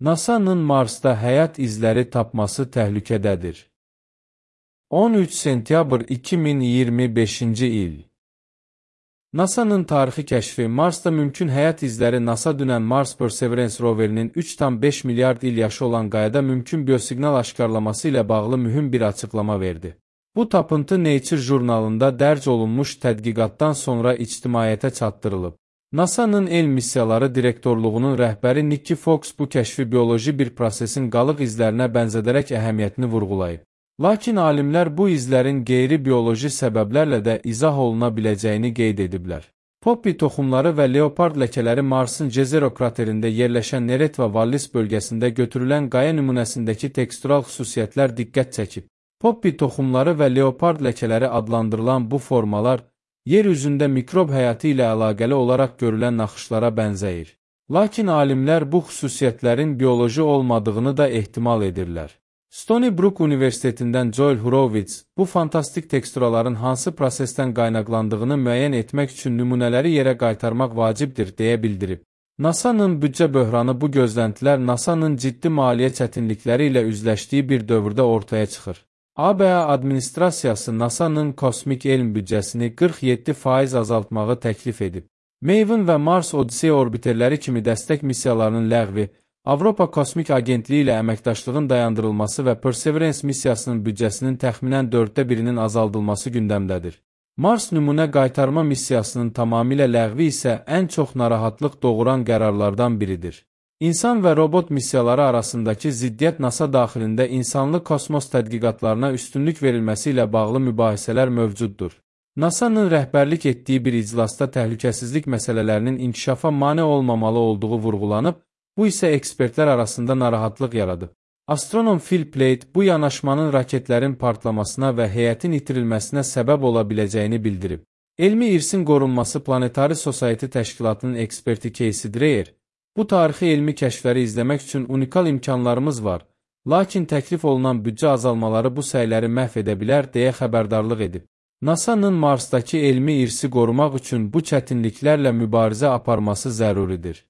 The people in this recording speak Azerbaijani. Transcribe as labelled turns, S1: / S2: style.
S1: NASA-nın Marsda həyat izləri tapması təhlükədədir. 13 sentyabr 2025-ci il. NASA-nın tarixi kəşfi Marsda mümkün həyat izləri NASA dünən Mars Perseverance roverinin 3,5 milyard il yaşı olan qayada mümkün biosiqnal aşkarlaması ilə bağlı mühüm bir açıqlama verdi. Bu tapıntı Nature jurnalında dərc olunmuş tədqiqatdan sonra ictimaiyyətə çatdırılıb. NASA-nın elm missiyaları direktorluğunun rəhbəri Nikki Fox bu kəşfi bioloji bir prosesin qalıq izlərinə bənzədərək əhəmiyyətini vurğulayıb. Lakin alimlər bu izlərin qeyri-bioloji səbəblərlə də izah oluna biləcəyini qeyd ediblər. Poppy toxumları və leopard ləkələri Marsın Jezero kraterində yerləşən Neret və Wallis bölgəsində götürülən qaya nümunəsindəki tekstural xüsusiyyətlər diqqət çəkib. Poppy toxumları və leopard ləkələri adlandırılan bu formalar, yer üzündə mikrob həyatı ilə əlaqəli olaraq görülən naxışlara bənzəyir. Lakin alimlər bu xüsusiyyətlərin bioloji olmadığını da ehtimal edirlər. Stony Brook Universitetindən Joel Horowitz bu fantastik teksturaların hansı prosesdən qaynaqlandığını müəyyən etmək üçün nümunələri yerə qaytarmaq vacibdir deyə bildirib. NASA-nın büdcə böhranı bu gözləntilər NASA-nın ciddi maliyyə çətinlikləri ilə üzləşdiyi bir dövrdə ortaya çıxır. ABA administrasiyası NASA-nın kosmik elm büdcəsini 47% azaltmağı təklif edib. Maven və Mars Odyssey orbiterləri kimi dəstək missiyalarının ləğvi, Avropa Kosmik Agentliyi ilə əməkdaşlığın dayandırılması və Perseverance missiyasının büdcəsinin təxminən 1/4-nin azaldılması gündəmdədir. Mars nümunə qaytarma missiyasının tamamilə ləğvi isə ən çox narahatlıq doğuran qərarlardan biridir. İnsan və robot missiyaları arasındakı ziddiyyət NASA daxilində insanlı kosmos tədqiqatlarına üstünlük verilməsi ilə bağlı mübahisələr mövcuddur. NASA-nın rəhbərlik etdiyi bir iclasda təhlükəsizlik məsələlərinin inkişafa mane olmamalı olduğu vurğulanıb, bu isə ekspertlər arasında narahatlıq yaradıb. Astronom Phil Plait bu yanaşmanın raketlərin partlamasına və heyətin itirilməsinə səbəb ola biləcəyini bildirib. Elmi irsin qorunması Planetary Society təşkilatının eksperti Casey Dreyer, bu tarixi elmi kəşfləri izləmək üçün unikal imkanlarımız var, lakin təklif olunan büdcə azalmaları bu səyləri məhv edə bilər deyə xəbərdarlıq edib. NASA-nın Marsdakı elmi irsi qorumaq üçün bu çətinliklərlə mübarizə aparması zəruridir.